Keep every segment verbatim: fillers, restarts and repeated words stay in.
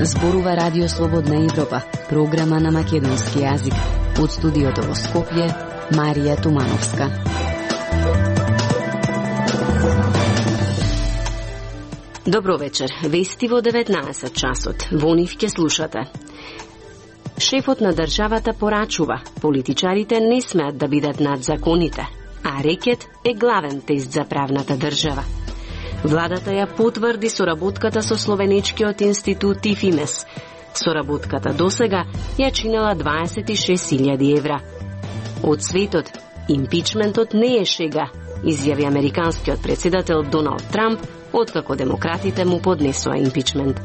Зборува Радио Слободна Европа, програма на македонски јазик. Од студиото во Скопје, Марија Тумановска. Добро вечер. Вести во деветнаесет часот. Во нив ќе слушате. Шефот на државата порачува, политичарите не смеат да бидат над законите, а рекет е главен тест за правната држава. Владата ја потврди соработката со Словенечкиот институт ИФИМЕС. Соработката досега ја чинела дваесет и шест илјади евра. Од светот, импичментот не е шега, изјави американскиот председател Доналд Трамп, откако демократите му поднесоа импичмент.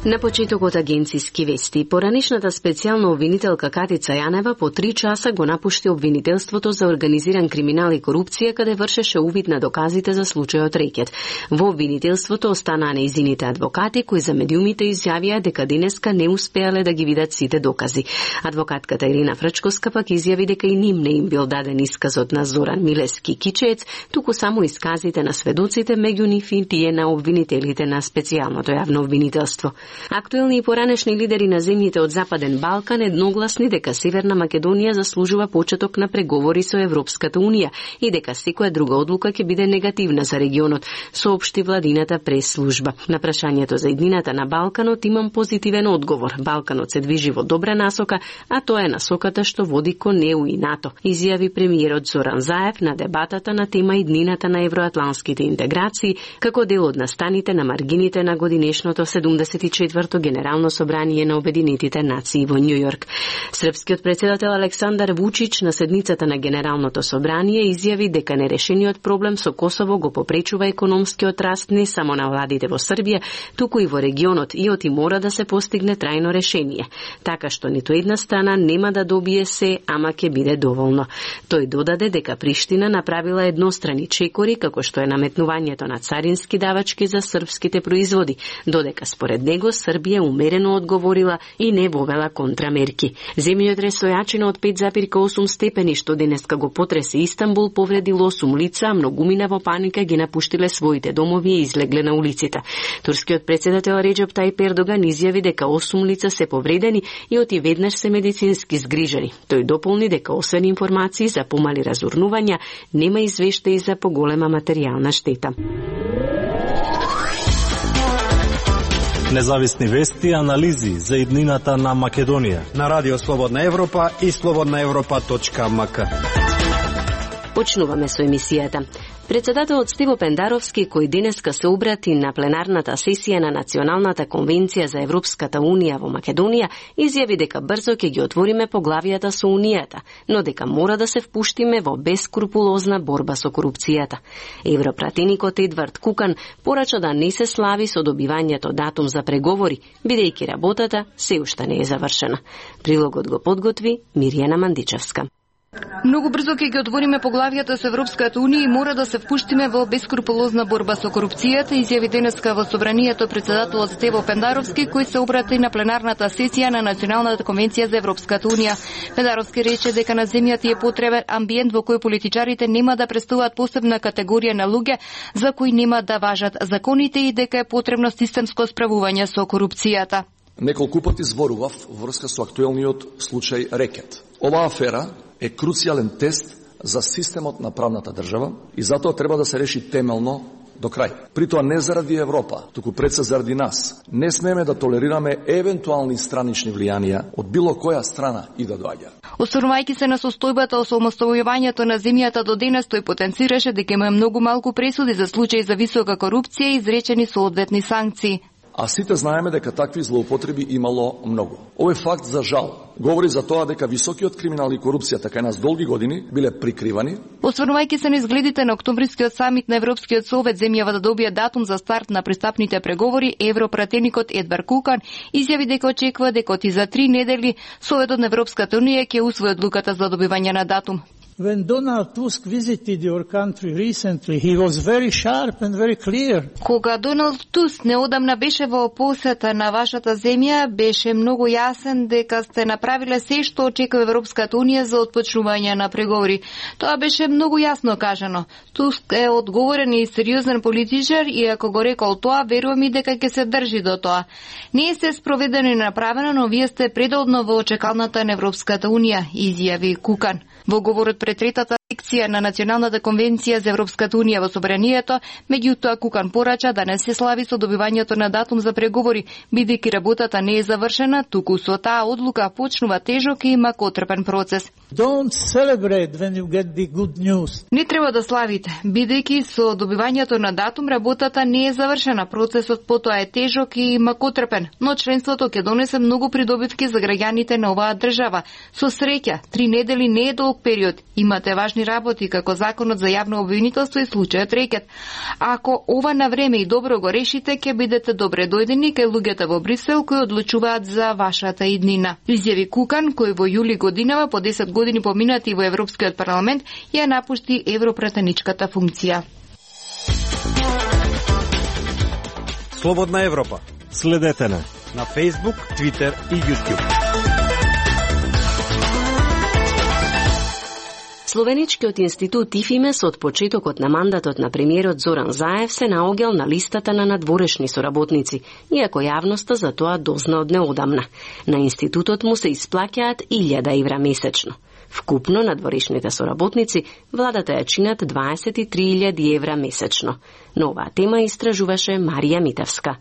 На почетокот агенциски вести, поранишната специјална обвинителка Катица Јанева по три часа го напушти обвинителството за организиран криминал и корупција, каде вршеше увид на доказите за случајот Рекет. Во обвинителството останаа нејзините адвокати, кои за медиумите изјавија дека денеска не успеале да ги видат сите докази. Адвокатката Ирина Фрчковска пак изјави дека и ним не им бил даден исказот на Зоран Милески Кичеец, туку само исказите на сведоците, меѓу нив и тие на обвинителите на специјалното јавно обвинителство. Актуелни и поранешни лидери на земјите од Западен Балкан едногласни дека Северна Македонија заслужува почеток на преговори со Европската Унија и дека секоја друга одлука ќе биде негативна за регионот, соопшти владината прес-служба. На прашањето за иднината на Балканот имам позитивен одговор. Балканот се движи во добра насока, а тоа е насоката што води кон ЕУ и НАТО, изјави премиерот Зоран Заев на дебатата на тема иднината на евроатланските интеграции како дел од настаните на маргините на годинешното седумдесет и четврто Генерално собрание на Обединетите нации во Њу Јорк. Српскиот председател Александар Вучич на седницата на Генералното собрание изјави дека нерешениот проблем со Косово го попречува економскиот раст не само на владите во Србија, туку и во регионот и оти мора да се постигне трајно решение, така што ниту една страна нема да добие се, ама ќе биде доволно. Тој додаде дека Приштина направила еднострани чекори како што е наметнувањето на царински давачки за српските производи, додека според него Србија умерено одговорила и не вовела контрамерки. Земјотрес со јачина од пет зарез осум степени што денеска го потресе Истанбул повредил осум лица, а многумина во паника ги напуштиле своите домови и излегле на улиците. Турскиот председател Реџеп Тајип Ердоган изјави дека осум лица се повредени и оти веднаш се медицински згрижани. Тој дополни дека освен информации за помали разурнувања, нема извештаи за поголема материјална штета. Независни вести и анализи за иднината на Македонија на Радио Слободна Европа и слободна европа точка ем ка. Почнуваме со емисијата. Председателот Стиво Пендаровски, кој денеска се обрати на пленарната сесија на Националната конвенција за Европската Унија во Македонија, изјави дека брзо ќе ги отвориме поглавијата со Унијата, но дека мора да се впуштиме во бескрупулозна борба со корупцијата. Европратеникот Едвард Кукан порача да не се слави со добивањето датум за преговори, бидејќи работата се уште не е завршена. Прилогот го подготви Мирјана Мандичевска. Многу брзо ќе ги отвориме поглавијата со Европската Унија и мора да се впуштиме во бескрупулозна борба со корупцијата, изјави денеска во собранието председателот Стево Пендаровски, кој се обрати на пленарната сесија на Националната конвенција за Европската Унија. Пендаровски рече дека на земјата е потребен амбиент во кој политичарите нема да представуваат посебна категорија на луѓе за кои нема да важат законите и дека е потребно системско справување со корупцијата. Неколку пати зборував во врска со актуелниот случај Рекет. Оваа афера е круцијален тест за системот на правната држава и затоа треба да се реши темелно до крај. Притоа не заради Европа, туку пред се заради нас. Не смееме да толерираме евентуални странични влијанија од било која страна и да доаѓа. Осврнувајќи се на состојбата со омоставувањето на земјата до денес, тој потенцираше дека има многу малку пресуди за случаи за висока корупција и изречени соодветни санкции. А сите знаеме дека такви злоупотреби имало многу. Овој факт, за жал, говори за тоа дека високиот криминал и корупција така нас долги години биле прикривани. Осврнувајќи се на изгледите на октомврискиот самит на Европскиот совет земјава да добие датум за старт на пристапните преговори, европратеникот Едвард Кукан изјави дека очекува дека и за три недели Советот на Европската Унија ќе усвои одлуката за добивање на датум. When Donald Tusk visited your country recently, he was very sharp and very clear. Кога Доналд Туск неодамна беше во посета на вашата земја, беше многу јасен дека сте направиле се што очекува Европската унија за отпочнување на преговори. Тоа беше многу јасно кажано. Туск е одговорен и сериозен политичар и ако го рекол тоа, верувам и дека ќе се држи до тоа. Не се спроведено и направено, но вие сте предолно во очекалната на Европската унија, изјави Кукан. Во говорот пред третата секција на Националната конвенција за Европската унија во собранието, меѓутоа Кукан порача да не се слави со добивањето на датум за преговори, бидејќи работата не е завршена, туку со таа одлука почнува тежок и макотрпен процес. Don't celebrate when you get the good news. Не треба да славите, бидејќи со добивањето на датум работата не е завршена, процесот потоа е тежок и макотрпен, но членството ќе донесе многу придобитки за граѓаните на оваа држава. Со среќа, три недели не е долг период. Имате важни работи како законот за јавно обвинителство и случајот рекет. Ако ова на време и добро го решите, ќе бидете добре дојдени кај луѓето во Брисел кои одлучуваат за вашата иднина. Изјави Кукан, кој во јули годинава по десет години поминати во Европскиот парламент, ја напушти европратеничката функција. Слободна Европа. Следете на на Facebook, Twitter и YouTube. Словеничкиот институт ИФИМЕС од почетокот на мандатот на премиерот Зоран Заев се наоѓал на листата на надворешни соработници, иако јавноста за тоа дозна од неодамна. На институтот му се исплаќаат илјада евра месечно. Вкупно надворешните соработници владата ја чинат дваесет и три илјади евра месечно. Но оваа тема истражуваше Марија Митевска.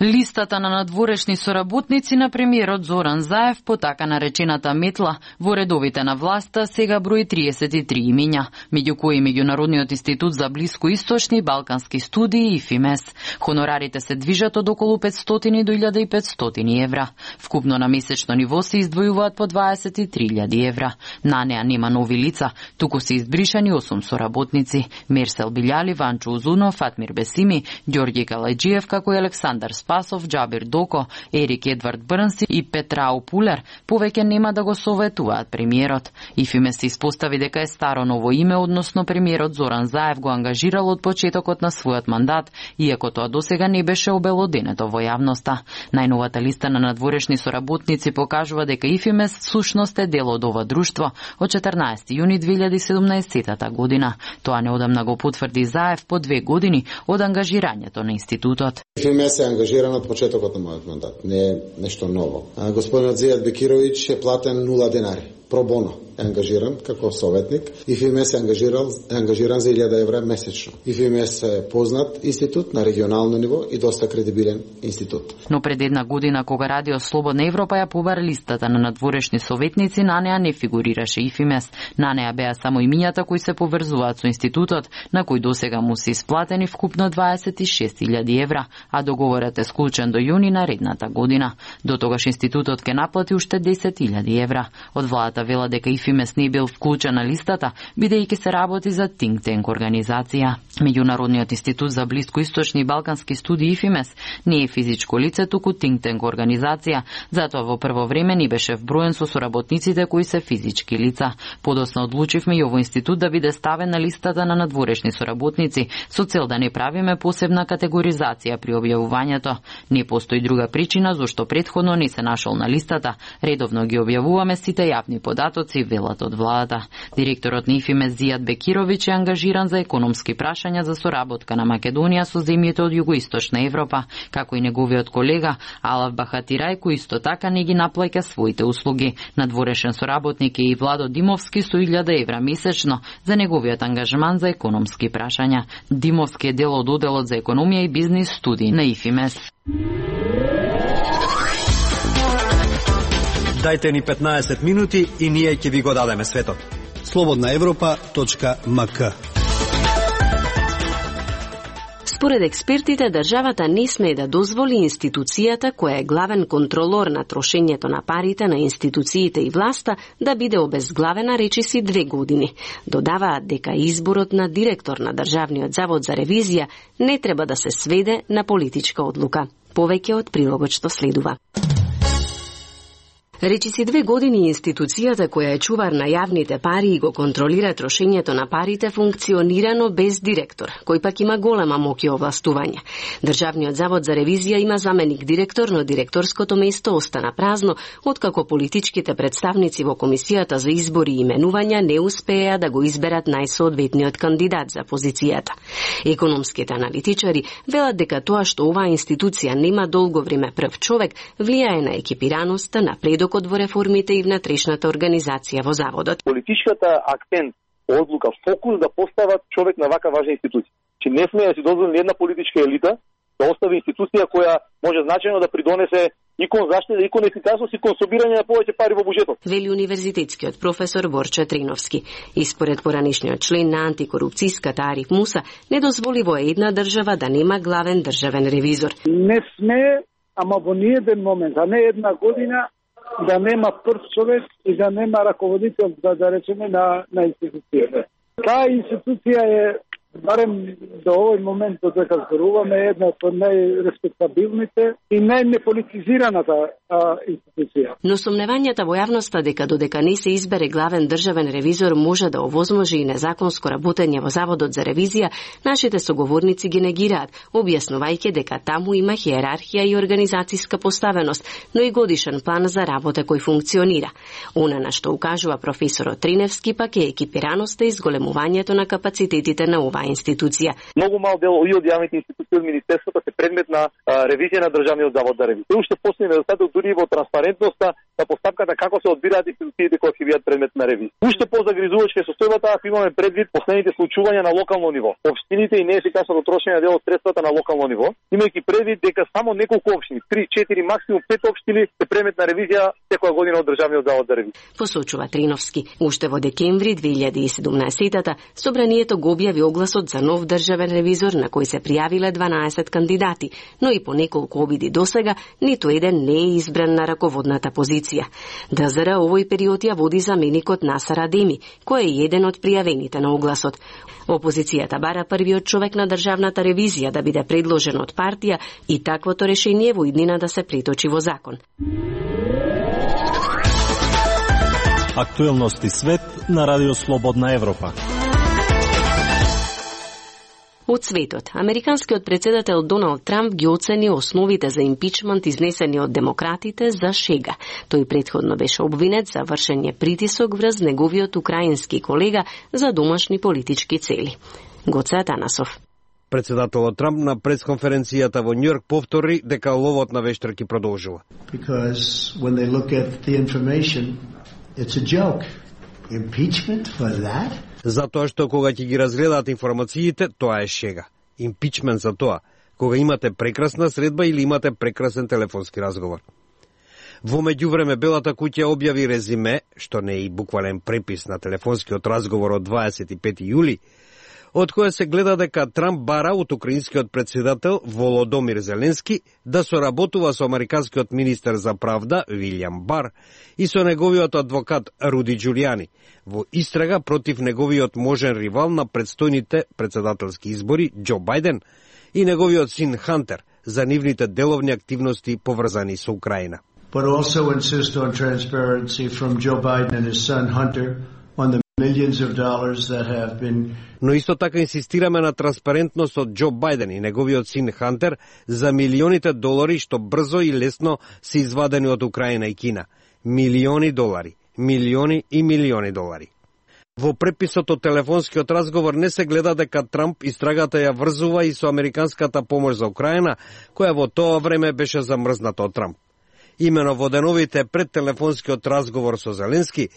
Листата на надворешни соработници на премиерот Зоран Заев по така наречената метла во редовите на власта сега брои триесет и три имиња, меѓу кои Меѓународниот институт за блискоисточни и балкански студии ИФИМЕС. Хонорарите се движат од околу петстотини до илјада и петстотини евра. Вкупно на месечно ниво се издвојуваат по дваесет и три илјади евра. На неа нема нови лица, туку се избришани осум соработници: Мерсел Билјали, Ванчо Узунов, Фатмир Бесими, Ѓорѓи Калајџиев, како и Александар Спасов, Џабир Доко, Ерик Едвард Брнси и Петрау Пулер повеќе нема да го советуваат премиерот. ИФИМЕС се испостави дека е старо ново име, односно премиерот Зоран Заев го ангажирал од почетокот на својот мандат, иако тоа досега не беше обелоденето во јавноста. Најновата листа на надворешни соработници покажува дека ИФИМЕС сушност е дел од ова друштво од четрнаесети јуни две илјади и седумнаесетата година. Тоа неодамна го потврди Заев по две години од ангажирањето на институтот. ИФИМЕС е ангажиран од почетокот на мојот мандат. Не е нешто ново. Господинот Зијад Бекировиќ е платен нула денари. Пробоно е ангажиран како советник. ИФИМЕС е ангажиран, е ангажиран за илјада евра месечно. ИФИМЕС е познат институт на регионално ниво и доста кредибилен институт. Но пред една година, кога Радио Слободна Европа ја побара листата на надворешни советници, на неа не фигурираше ИФИМЕС. На неа беа само имињата кои се поврзуваат со институтот, на кои досега му се исплатени вкупно дваесет и шест илјади евра, а договорот е склучен до јуни наредната година. До тогаш институтот ќе наплати уште десет илјади евра. Од владата вела дека ИФИМЕС не бил вклучен на листата, бидејќи се работи за think tank организација. Меѓународниот институт за блискоисточни и балкански студии ИФИМЕС не е физичко лице, туку think tank организација, затоа во прво време не беше вброен со соработниците кои се физички лица. Подоцна одлучивме и овој институт да биде ставен на листата на надворешни соработници, со цел да не правиме посебна категоризација при објавувањето. Не постои друга причина зошто претходно не се нашол на листата. Редовно ги објавуваме сите јавни податоци, велат од владата. Директорот на ИФИМЕС Зијад Бекировиќ е ангажиран за економски прашања за соработка на Македонија со земјите од југоисточна Европа, како и неговиот колега Алав Бахатирај, кој исто така не ги наплаќа своите услуги. Надворешен соработник е и Владо Димовски со илјада евра месечно за неговиот ангажман за економски прашања. Димовски е дел од оделот за економија и бизнис студии на ИФИМЕС. Дајте ни петнаесет минути и ние ќе ви го дадеме светот. слободна европа точка ем ка. Според експертите, државата не смее да дозволи институцијата, која е главен контролор на трошењето на парите на институциите и власта, да биде обезглавена речиси две години. Додаваат дека изборот на директор на Државниот завод за ревизија не треба да се сведе на политичка одлука. Повеќе од прилогот што следува. Речиси две години институцијата која е чувар на јавните пари и го контролира трошењето на парите функционирано без директор, кој пак има голема моќ и овластување. Државниот завод за ревизија има заменик директор, но директорското место остана празно, откако политичките представници во комисијата за избори и именувања не успеа да го изберат најсоодветниот кандидат за позицијата. Економските аналитичари велат дека тоа што оваа институција нема долго време прв човек влијае на екипираноста, на предокот во реформите и внатрешната организација во заводот. Политичката акцент, одлука, фокус да постават човек на вака важна институција. Че не сме да си дозволим една политичка елита да остави институција која може значајно да придонесе и кон заштита, и кон ефикасност, и кон собирање на повеќе пари во буџетот. Вели универзитетскиот професор Борче Триновски. И според поранишниот член на антикорупцијската Ариф Муса, не дозволи во една држава да нема главен државен ревизор. Не сме, ама во ниеден момент, а не една година, да нема прв човек и да нема раководител, да, да речеме, на, на институцијата. Таа институција е, барем до овој момент додека зборуваме, една од најреспектабилните и најнеполитизираната институција. Но сомневањата во јавноста дека додека не се избере главен државен ревизор може да овозможи и незаконско работење во заводот за ревизија, нашите соговорници ги негираат, објаснувајќи дека таму има хиерархија и организацијска поставеност, но и годишен план за работа кој функционира. Она на што укажува професорот Триневски пак е екипираноста и зголемувањето на капацитетите на оваа институција. Многу мал дел и од јавните институции од министерството се предмет на а, ревизија на државниот завод за ревизија. Уште постои недостаток дури во транспарентноста на постапката како се одбираат институциите кои ќе бидат предмет на ревизија. Уште позагризувачка е состојбата ако имаме предвид последните случувања на локално ниво. Општините и неефикасното трошење на дел од средствата на локално ниво, имајќи предвид дека само неколку општини, три, четири, максимум пет општини се предмет на ревизија секоја година од државниот завод за ревизија. Посочува Триновски. Уште во декември две илјади и седумнаесета Собранието го објави огласот за нов државен ревизор на кој се пријавиле дванаесет кандидати, но и по неколку обиди досега ниту еден не е избран на раководната позиција. ДЗР овој период ја води заменикот Насар Адеми, кој е еден од пријавените на огласот. Опозицијата бара првиот човек на државната ревизија да биде предложен од партија и таквото решение во иднина да се преточи во закон. Актуелности свет на Радио Слободна Европа. Од светот, американскиот председател Доналд Трамп ги оцени основите за импичмент изнесени од демократите за шега. Тој претходно беше обвинет за вршење притисок врз неговиот украински колега за домашни политички цели. Гоце Атанасов. Председателот Трамп на пресконференцијата во Њујорк повтори дека ловот на вештарки продолжува. Because when they look at the information, it's a joke. Impeachment for that? Затоа што кога ќе ги разгледаат информациите, тоа е шега. Импичмент за тоа, кога имате прекрасна средба или имате прекрасен телефонски разговор. Во меѓувреме Белата куќа објави резиме, што не е и буквален препис на телефонскиот разговор од дваесет и пети јули, од која се гледа дека Трамп бара од украинскиот председател Володомир Зеленски да соработува со американскиот министер за правда Вилјам Бар и со неговиот адвокат Руди Џулијани во истрага против неговиот можен ривал на предстојните председателски избори Џо Бајден и неговиот син Хантер за нивните деловни активности поврзани со Украина. But also insist on transparency from Joe Biden and his son Hunter on the millions of dollars that have been. Но исто така инсистираме на транспарентност од Џо Бајден и неговиот син Хантер за милионите долари што брзо и лесно се извадени од Украина и Кина. Милиони долари, милиони и милиони долари. Во преписот од телефонскиот разговор не се гледа дека Трамп истрагата ја врзува и со американската помош за Украина, која во тоа време беше замрзната од Трамп. Имено во деновите пред телефонскиот разговор со Зеленски,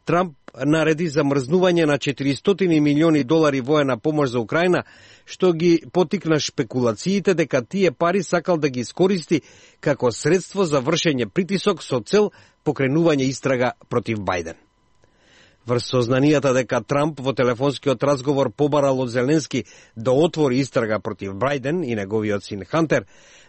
Трамп нареди замрзнување на четиристотини милиони долари воена помош за Украина, што ги потикна шпекулациите дека тие пари сакал да ги искористи како средство за вршење притисок со цел покренување истрага против Бајден. Врз сознанијата дека Трамп во телефонскиот разговор побарал од Зеленски да отвори истрага против Бајден и неговиот син Хантер,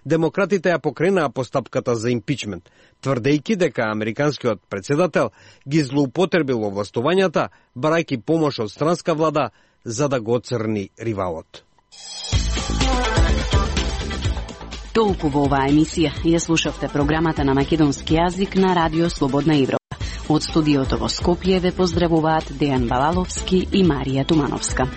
демократите ја покренаа постапката за импичмент, тврдејќи дека американскиот председател ги злоупотребил овластувањата, барајќи помош од странска влада за да го оцрни ривалот. Толку во оваа емисија. Ја слушавте програмата на македонски јазик на Радио Слободна Европа. Од студиото во Скопје ве поздравуваат Дејан Балаловски и Марија Тумановска.